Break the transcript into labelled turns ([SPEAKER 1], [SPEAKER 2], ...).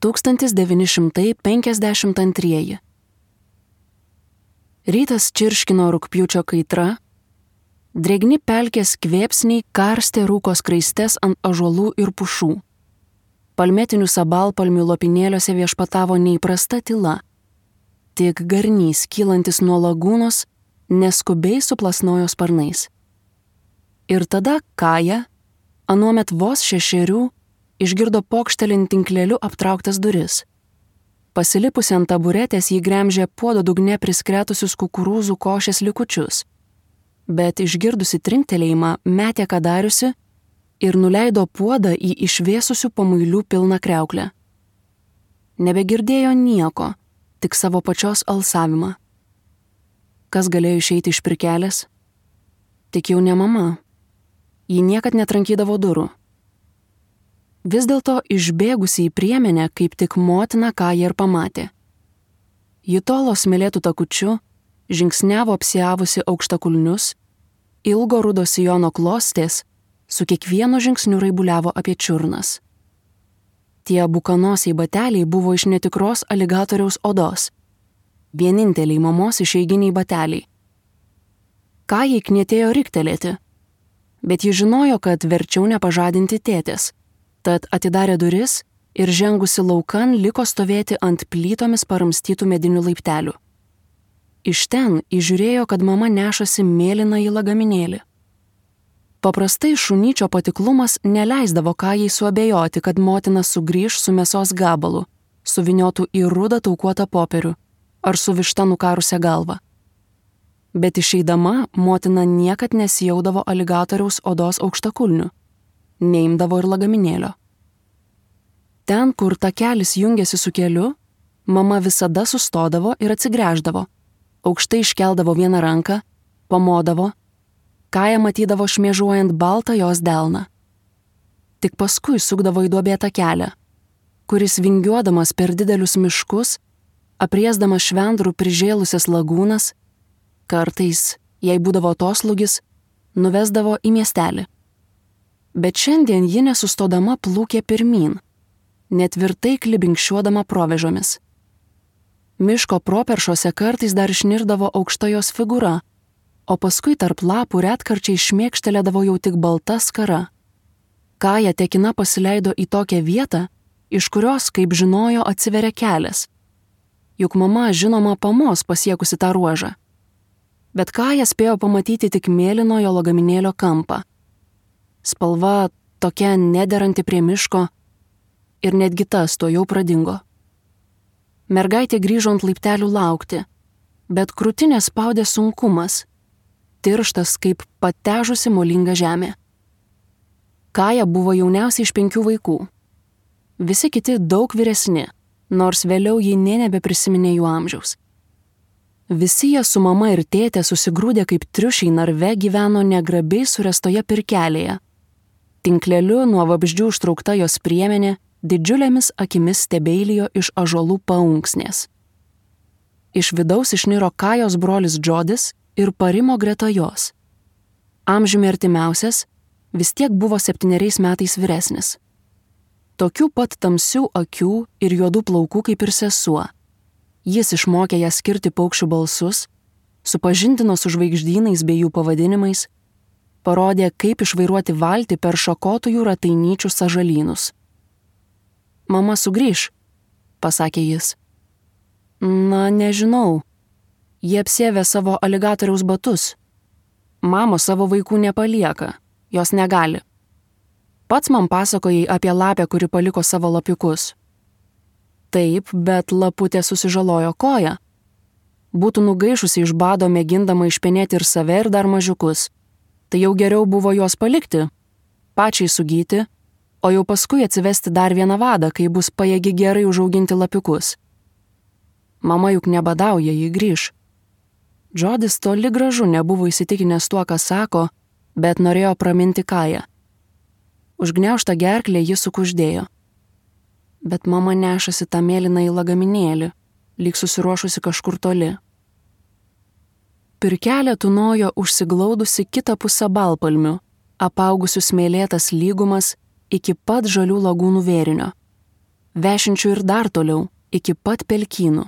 [SPEAKER 1] 1952. Rytas čirškino rugpjūčio kaitra, drėgni pelkės kvėpsniai karstė rūko skraistes ant ąžuolų ir pušų. Palmetinių sabalpalmių lopinėliuose viešpatavo neįprasta tyla. Tik garnys, kylantis nuo lagūnos, neskubiai suplasnojo sparnais. Ir tada Kaja, anuomet vos 6, išgirdo pokštelint tinkleliu aptrauktas duris. Pasilipusi ant taburetės jį gremžė puodo dugne priskretusius kukurūzų košės likučius, bet išgirdusi trinktelėjimą metė ką dariusi ir nuleido puodą į išvėsusių pamuilių pilną kriauklę. Nebegirdėjo nieko, tik savo pačios alsavimą. Kas galėjo išeiti iš pirkelės? Tik jau ne mama. Ji niekad netrankydavo durų. Vis dėlto išbėgusi į priemenę, kaip tik motina Kaja ir pamatė. Ji tolo smėlėtų takučiu, žingsniavo apsiavusi aukštakulnius, ilgo rudo sijono klostės, su kiekvienu žingsniu raibuliavo apie čiurnas. Tie bukanosiai bateliai buvo iš netikros aligatoriaus odos. Vieninteliai mamos išeiginiai bateliai. Kajai knietėjo riktelėti, bet ji žinojo, kad verčiau nepažadinti tėtės, tad atidarė duris ir žengusi laukan liko stovėti ant plytomis paramstytų medinių laiptelių. Iš ten įžiūrėjo, kad mama nešasi mėlyną į lagaminėlį. Paprastai šunyčio patiklumas neleisdavo Kajai suabejoti, kad motina sugrįž su mėsos gabalu, suvyniotų į rudą taukuotą popierių ar su višta nukarusią galvą. Bet išeidama motina niekad nesijaudavo aligatoriaus odos aukštakulnių, neimdavo ir lagaminėlio. Ten, kur takelis jungėsi su keliu, mama visada sustodavo ir atsigręždavo, aukštai iškeldavo vieną ranką, pamodavo, Kaja matydavo šmėžuojant baltą jos delną. Tik paskui sukdavo į duobėtą kelią, kuris vingiuodamas per didelius miškus, apriesdamas švendrų prižėlusias lagūnas, kartais, jei būdavo atoslūgis, nuvesdavo į miestelį. Bet šiandien ji nesustodama plūkė pirmyn, netvirtai klibinkščiuodama provėžomis. Miško properšose kartais dar išnirdavo aukšta jos figūra, o paskui tarp lapų retkarčiai šmėkštelėdavo jau tik balta skara. Kaja tekina pasileido į tokią vietą, iš kurios, kaip žinojo, atsiveria kelias. Juk mama, žinoma, pamos pasiekusi tą ruožą. Bet Kaja spėjo pamatyti tik mėlynojo lagaminėlio kampą. Spalva tokia nederanti prie miško ir netgi tas to jau pradingo. Mergaitė grįžo ant laiptelių laukti, bet krūtinę spaudė sunkumas, tirštas kaip patežusi molinga žemė. Kaja buvo jauniausia iš 5 vaikų. Visi kiti daug vyresni, nors vėliau ji nė nebeprisiminė jų amžiaus. Visi jie su mama ir tėtė susigrūdė kaip triušiai narve gyveno negrabiai surestoje pirkelėje. Tinkleliu nuo vabzdžių užtraukta jos priemenė didžiulėmis akimis stebeilijo iš ąžuolų paunksnės. Iš vidaus išniro Kajos brolis Džodis ir parimo greta jos. Amžiumi artimiausias, vis tiek buvo 7 metais vyresnis. Tokių pat tamsių akių ir juodų plaukų kaip ir sesuo. Jis išmokė ją skirti paukščių balsus, supažindino su žvaigždynais bei jų pavadinimais, parodė, kaip išvairuoti valtį per šakotųjų ratainyčių sąžalynus. Mama sugrįš, pasakė jis. Na, nežinau. Jie apsėvė savo aligatoriaus batus. Mamos savo vaikų nepalieka, jos negali. Pats man pasakojai apie lapę, kuri paliko savo lapiukus. Taip, bet laputė susižalojo koją. Būtų nugaišusi iš bado mėgindama išpenėti ir save ir dar mažiukus. Tai jau geriau buvo juos palikti, pačiai sugyti, o jau paskui atsivesti dar vieną vadą, kai bus pajėgi gerai užauginti lapiukus. Mama juk nebadauja, ji grįš. Džodis toli gražu nebuvo įsitikinęs tuo, ką sako, bet norėjo praminti Kają. Užgniaužtą gerklę ji sukuždėjo. Bet mama nešasi tą mėlyną į lagaminėlį, lyg susiruošusi kažkur toli. Pirkelė tūnojo užsiglaudusi kitą pusę balpalmių, apaugusių smėlėtas lygumas iki pat žalių lagūnų vėrinio. vešinčių ir dar toliau, iki pat pelkynų.